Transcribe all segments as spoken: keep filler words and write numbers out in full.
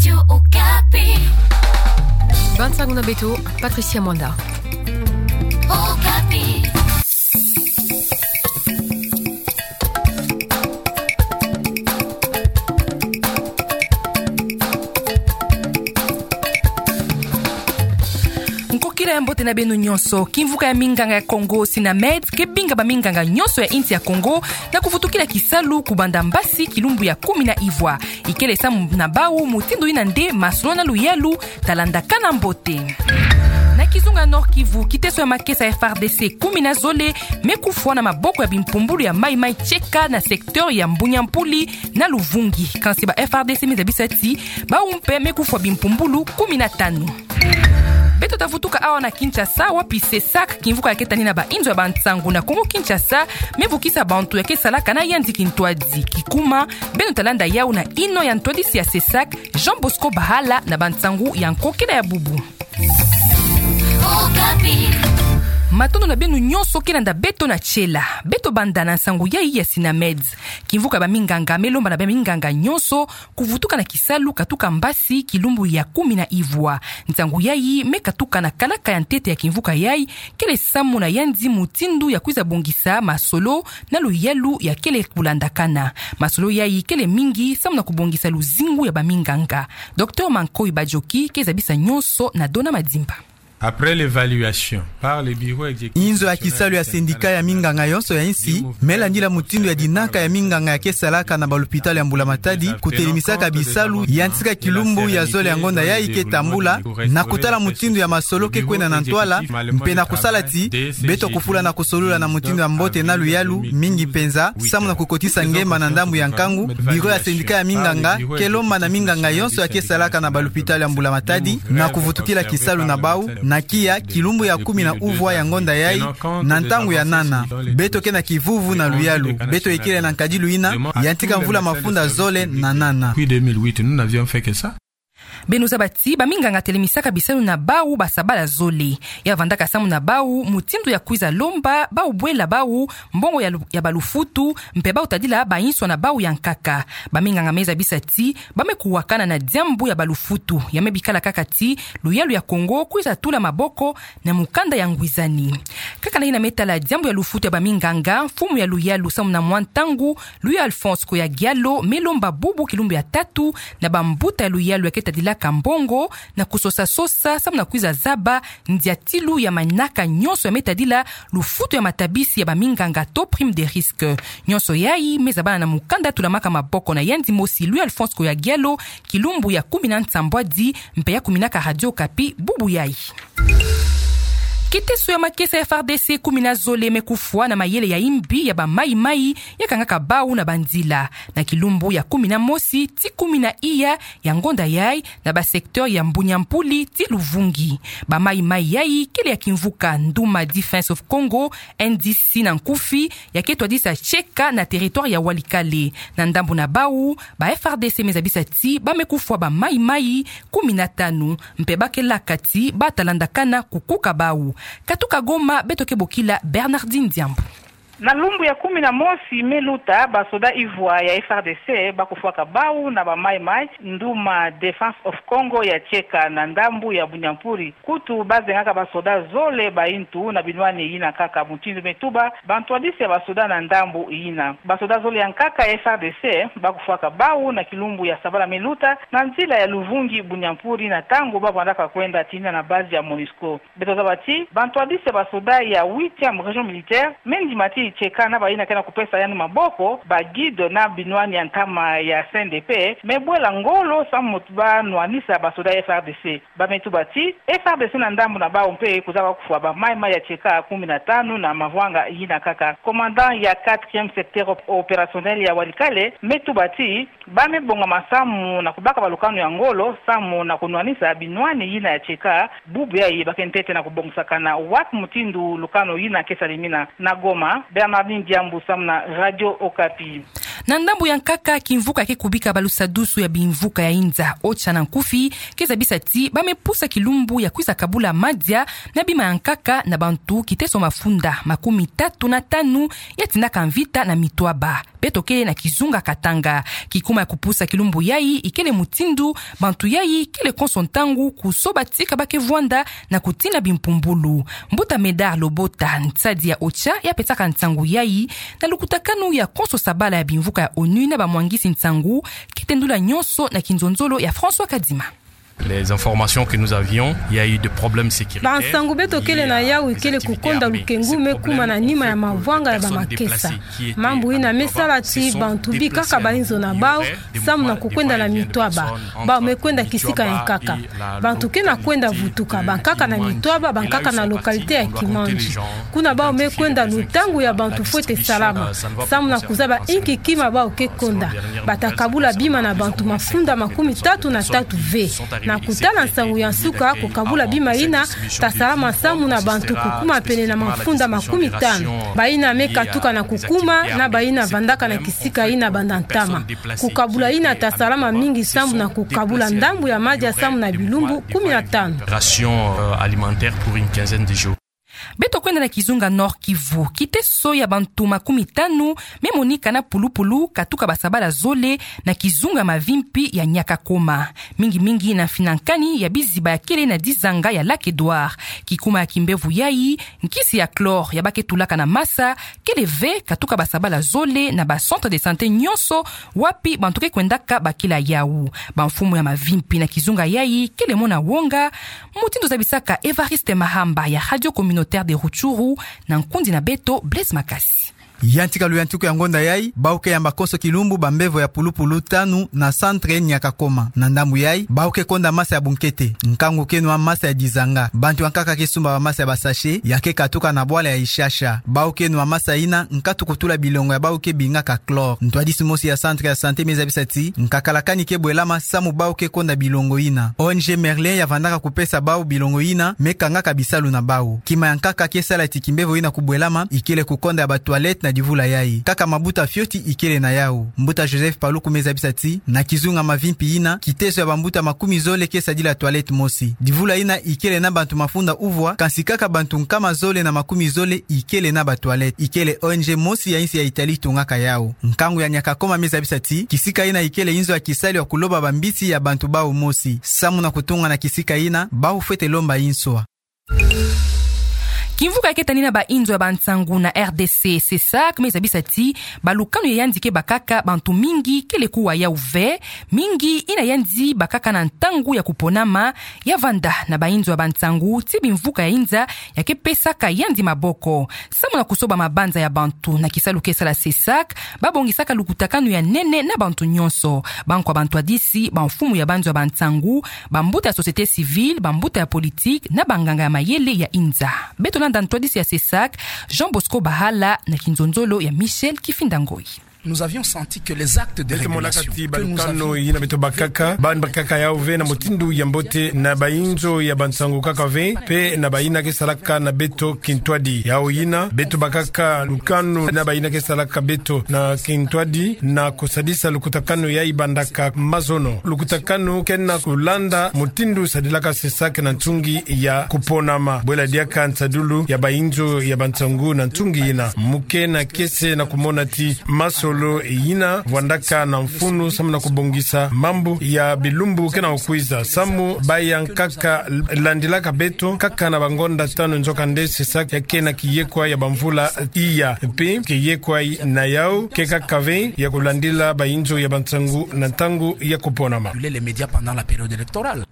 Radio Okapi. Bansango na beto, Patricia Mwanda. Okapi. Nkokila ya mbote na beno nyonso. Kimvuka ya minganga ya Kongo, Synamed, ke binga baminganga nyonso ya insi ya Kongo na kuvutukila kisalu kubanda mbasi kilumbu ya kumi na ivwa. Ikele samu na bau mutindu ina nde masolo na luyalu talandakana mbote. Na kizunga Nord-Kivu, kiteso ya makesa ya F A R D C kumi na zole me kufwa na maboko ya bimpumbulu ya Mai Mai Cheka na secteur ya Mbunya Mpuli na Luvungi. Kansi ba F A R D C me zabisa ti bau mpe me kufwa bimpumbulu kumi na tanu. Beto tavutuka awa na Kinshasa, wapi CESAC, kimvuka ya ke tanina bainzo ya bansango na Kongo-Kinshasa, me vukisa bantu ya ke salaka na yandi kintwadi. Kikuma, beno talanda yau na ino ya ntwadisi ya CESAC, Jean Bosco Bahala, na bansango ya nkokila ya bubu. Matondo na beno nyonso ke landa beto na tiela. Beto banda na nsango yai ya Synamed. Kimvuka ya baminganga me lomba na baminganga nyonso kuvutuka na kisalu katuka mbasi kilumbu ya kumi na ivwa. Nsango yai me katuka na kalaka ya ntete ya kimvuka yai, kele samu na yandi mutindu ya kwiza bongisa masolo na luyalu ya kele kulandakana. Masolo yai kele mingi samu na kubongisa luzingu ya baminganga. Docteur Mankoy Badjoki ke zabisa nyonso na Dona Madimba. Après l'évaluation par le bureau exécutif Inzo ya kisalu ya sindika ya minganga yonso ya insi, me landila mutindu ya dinaka ya minganga ya ke salaka na balupitalu ya Mbula Matadi, kutelemisaka bisalu, yantika kilumbu ya zole ya ngonda yai ke tambula, na kutala mutindu ya masolo ke kwenda na ntwala, mpe na kusala ti beto kufula na kusolula na mutindu ya mbote na luyalu mingi mpenza, samu na kukotisa ngemba na ndambu ya nkangu. Bureau ya sindika ya minganga ke lomba na minganga yonso ya ke salaka na balupitalu ya Mbula Matadi na kuvutukila kisalu na bau, na kiya kilumbu ya kumi na uvwa ya ngonda yai, na ntangu ya nana. Beto ke na kivuvu na luyalu. Beto ikele na nkadilu ina, yantika mvula mafunda zole na nana. Depuis deux mille huit, nous n'avions fait que ça. Beno zaba ti baminganga telemisaka bisalu na bau basabala zole. Ya vandaka samu na bau mutindu ya kwiza lomba bau bwela bau mbongo ya lu-, ya balufutu, mpe bau tadila bainso na bau ya nkaka. Baminganga me zabisa ti ba me kuwakana na diambu ya balufutu. Ya me bikala kaka ti luyalu ya Kongo kwiza tula maboko na mukanda ya ngwizani. Kaka na ina me tala diambu ya lufutu ya baminganga, mfumu ya luyalu samu na mwa ntangu, Louis Alphonse Koya Giallo, me lomba bubu kilumbu ya tatu na bambuta ya luyalu ya ke tadilaka mbongo na kusosa-sosa samu na kwiza zaba ndiatilu ya manaka nyonso ya me tadila lufutu ya matabisi ya baminganga to prime de risque. Nyonso yai me zabana na mukanda tulamaka maboko na yandi mosi Louis Alphonse Koya Giallo, kilumbu ya kumi na nsambwadi, mpe ya kuminaka Radio Okapi bubu yai. Kiteso ya makesa ya F A R D C kumi na zole me kufwa na mayele ya imbi ya ba Mai-Mai ya kangaka bau na banzila, na kilumbu ya kumi na mosi ti kumi na iya ya ngonda yai, na ba secteur ya Mbunya Mpuli ti Luvungi. Ba Mai-Mai yai kele ya kimvuka Nduma Defense of Congo, N D C na nkufi, ya ke twadisa Cheka na territoire ya Walikale. Na ndambu na bau, ba F A R D C me zabisa ti ba me kufwa ba Mai-Mai kumi na tanu, mpe ba ke laka ti ba talandakana kukuka bau. Katuka Goma, beto ke bokila Bernardine Diambu. Na lumbu ya kumi na mosi me luta, basoda ivwa ya F A R D C ba kufwaka bau na ba Mai-Mai, Nduma Defense of Congo ya Cheka na ndambu ya Bunya Mpuli. Kutu ba zengaka basoda zole baintu na binwani ina kaka, mutindu me tuba bantwadisi ya basoda na ndambu ina. Basoda zole ya nkaka ya F A R D C ba kufwaka bau na kilumbu ya sabala me luta na nzila ya Luvungi Bunya Mpuli, na ntangu ba vandaka kwenda tinina na base ya MONUSCO. Beto zaba ti bantwadisi ya basoda ya huitième région militaire me ndima ti Cheka na baina ke na kupesa yandi maboko, ba guide na binwani ya ntama ya C N D P me bwela ngolo samu ti ba nwanisa basoda ya F A R D C. Ba me tuba ti F A R D C na ndambu na bau mpe kuzaba kufwa ba Mai-Mai ya Cheka kumi na tanu na mavwanga ina kaka. Commandant ya quatrième secteur op-, opérationnel ya Walikale me tuba ti ba me bonga masamu na kubaka balukanu ya ngolo samu na kunwanisa binwani ina ya Cheka. Bubu yai ba ke ntete na kubongisakana wapi mutindu lukanu ina ke salimina. Na Goma, Bernardine Diambu samu na Radio Okapi. Na ndambu ya nkaka, kimvuka ke kubika balusadusu ya bimvuka ya inza, OCHA na nkufi, ke zabisa ti ba me pusa kilumbu ya kwiza kabula madia na bima ya nkaka na bantu kiteso mafunda makumi tatu na tanu ya tindaka mvita na mitwaba. Beto kele na kizunga Katanga. Kikuma ya kupusa kilumbu yayi ikele mutindu bantu yayi kele konso ntangu kusoba ti ka ba ke vwanda na kutina bimpumbulu. Mbuta Médard Lobota, nsadi ya OCHA, ya pesaka nsangu yayi na lukutakanu ya konso sabala ya bimvuka ya ONU na bamwangisi nsangu, ke tendula nyonso na kinzonzolo ya François Kadima. Les informations que nous avions, il y a eu des problèmes sécuritaires. Bansangu beto kele na yawu ikele kukonda lukengu me kuma na nima ya mavwanga ya bamakesa. Mambu yina me sala ti bantu bikaka bainzo na bawu, samu na kukwenda na mitwaba. Bawu me kwenda kisika ya nkaka. Bantu ke na kwenda vutuka, bankaka na mitwaba, bankaka na localité ya Kimandji. Kuna bawu me kwenda lutangu ya bantu fwete salama, samu na kuzaba inki kima bawu ke konda. Bata kabula bima na bantu mafunda makumi tatu na tatu ve. Na kutala nsangu ya nsuka, kukabula bima yina ta salama samu na bantu kukuma pene na mafunda makumi tanu. Bayina me katuka na kukuma, na bayina vandaka na kisika yina banda ntama. Kukabula yina ta salama mingi samu na kukabula ndambu ya madia samu na bilumbu kumi na tanu. Ration, euh, alimentaire pour une quinzaine de jours. Beto kwenda na kizunga Nord-Kivu. Kiteso ya bantu makumi tanu me monika na pulupulu katuka basabala zole na kizunga Mavimpi ya Nyakakoma. Mingi mingi na mfinankani ya biziba ya kele na dizanga ya Lac Edouard. Kikuma ya kimbevo yayi, nkisi ya chlore ya ba ke tulaka na masa, kele ve katuka basabala zole na ba centre de santé nyonso wapi bantu ke kwendaka bakila yawu. Bamfumu ya Mavimpi na kizunga yayi kele mona wonga, mutindu zabisaka Évariste Mahamba ya Radio Communautaire de Rutshuru na nkundi na beto Blaise Makasi. Yantika luyantiku ya ngonda yayi, bawu ke yamba konso kilumbu bambevo ya pulupulu tanu na centre Nyakakoma. Na ndambu yayi, bawu ke konda masa ya bunkete, nkangu ke nwa masa ya dizanga. Bantu ya nkaka ke sumba bamasa ya basachet, ya ke katuka na bwala ya Ishasha. Bawu ke nwa masa yina, nkatu kutula bilongo ya bawu ke bingaka chlore. Ntwadisi mosi ya centre ya santé me zabisa ti, nkakala kani ke bwelama samu bawu ke konda bilongo yina. O N G Merlin ya vandaka kupesa bawu bilongo yina, me kangaka bisalu na bawu. Kima ya nkaka ke sala ti kimbevo yina kubwelama, ikele kukonda ya ba toilette na divula yayi. Kaka mabuta fioti ikele na yawu. Mbuta Joseph Paluku me zabisa ti, na kizunga Mavimpi yina, kiteso ya bambuta makumi zole ke sadila toilette mosi. Divula yina ikele na bantu mafunda uvwa, kansi kaka bantu nkama zole na makumi zole ikele na ba toilette. Ikele O N G mosi ya insi ya Italie tungaka yawu. Nkangu ya Nyakakoma me zabisa ti, kisika yina ikele inzo ya kisalu ya kuloba bambisi ya bantu bawu mosi. Samu na kutunga na kisika yina, bawu fwete lomba inswa. Kimvuka ya ke tanina bainzo ya bansangu na R D C, CESAC, me zabisa ti, balukanu ya yandi ke bakaka bantu mingi kele kuwa yawu ve, mingi yina yandi bakaka na ntangu ya kuponama, ya vanda na bainzo ya bansangu ti bimvuka ya inza ya ke pesaka yandi maboko. Samu na kusoba mabanza ya bantu na kisalu ke sala CESAC, ba bongisaka lukutakanu ya nene na bantu nyonso. Bankwa bantwadisi, bamfumu ya banzo ya bansangu, bambuta ya société civile, bambuta ya politique, na banganga ya mayele ya inza. Beto landa ntwadisi ya CESAC, Jean Bosco Bahala, na kinzonzolo ya Michel Kifinda Ngoyi. Nous avions senti que les actes de régulation que nous avions... Beto monaka ti balukanu yina beto bakaka, ba bakaka yawu ve na mutindu ya mbote na bainzo ya bansangu kaka ve, mpe na bayina ke salaka na beto kintwadi. Yawu yina, beto bakaka lukanu na bayina ke salaka beto na kintwadi, na kusadisa lukutakanu yayi bandaka mazono. Lukutakanu ke na kulanda mutindu sadilaka CESAC na nsungi ya kuponama. Bwela diaka nsadulu ya bainzo ya bansangu na nsungi yina. Mu ke na kiese na kumona ti masolo yina vwandaka na mfunu samu na kubongisa mambu ya bilumbu ke na kukwiza. Samu baya nkaka landilaka beto, kaka na bangonda tanu nzokande CESAC ya ke na kiyekwa ya bamvula iya. Mpe kiyekwa na yawu ke kaka ve ya kulandila bainzo ya bansangu na ntangu ya kuponama. Les médias pendant la période électorale.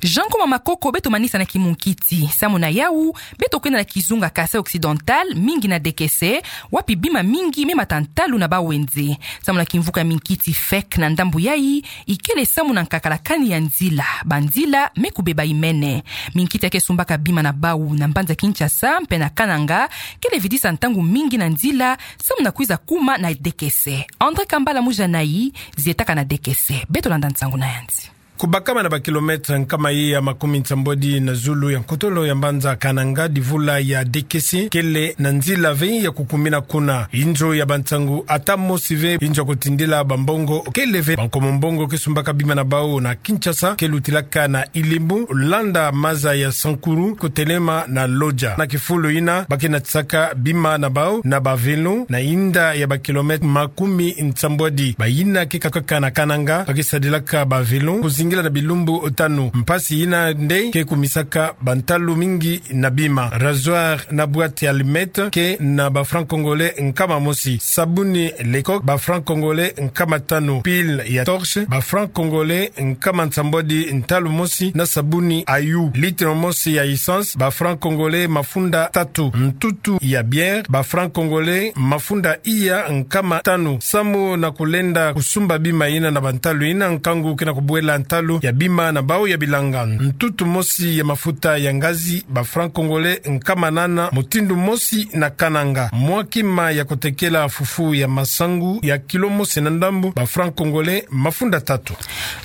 Jean Nkoma Makoko, beto manisa na kimunkiti. Samu na yawu, beto kwenda na kizunga Kasaï Occidental, mingi na dekese, wapi bima mingi me mata ntalu na bawenze. Samu na kimvuka ya minkiti fek na ndambu yayi, ikele samu na nkakala kani ya nzila, banzila me kubeba imene. Minkiti ya ke sumbaka bima na bawu na mbanza Kinshasa, mpe na Kananga, kele vidisa ntangu mingi na nzila, samu na kwiza kuma na dekese. André Kambala Mujanayi, zietaka na dekese. Beto landa nsangu na yandi. Kubakama na ba kilomètre nkama ye ya makumi nsambwadi na zulu ya nkotolo ya mbanza Kananga, divula ya Dékessé kele na nzila ve ya kukumina kuna. Inzo ya bansangu ata mosi ve. Inzo ya kutindila bambongo kele ve. Bankomo mbongo ke sumbaka bima na bau na Kinshasa ke lutilaka na Ilembo, landa maza ya Sankuru kutelema na Lodja. Na kifulu ina ba ke natisaka bima na bau na ba vélo na inda ya ba kilomètre makumi nsambwadi. Bayina ke kakaka na Kananga ba ke sadilaka ba vélo kuzingila na bilumbu tanu. Mpasi ina nde ke kumisaka bantalu mingi na bima. Rasoir na boîte ya allumette ke na ba francs congolais nkama mosi. Sabuni Lecoq, ba francs congolais nkama tanu. Pile ya torche, ba francs congolais nkama nsambwadi ntalu mosi. Na sabuni Ayu, litre mosi ya essence, ba francs congolais mafunda tatu. Ntutu ya bière, ba francs congolais mafunda iya nkama tanu. Samu na kulenda kusumba bima ina na bantalu ina, nkangu ke na kubwela ntalu ya bima na bau ya bilanga. Ntutu mosi ya mafuta ya ngazi, ba francs congolais nkama nana, mutindu mosi na Kananga. Mwa kima ya kutekela fufu ya masangu ya kilo mosi na ndambu, ba francs congolais mafunda tatu.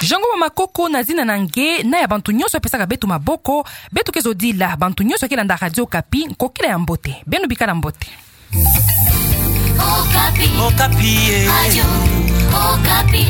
Jean Ngoma Makoko na zina na nge na ya bantu nyonso pesaka beto maboko. Beto ke zodila bantu nyonso ke landa Radio Okapi nkokila ya mbote. Beno bikala mbote. Okapi. Okapi, eh. Radio Okapi.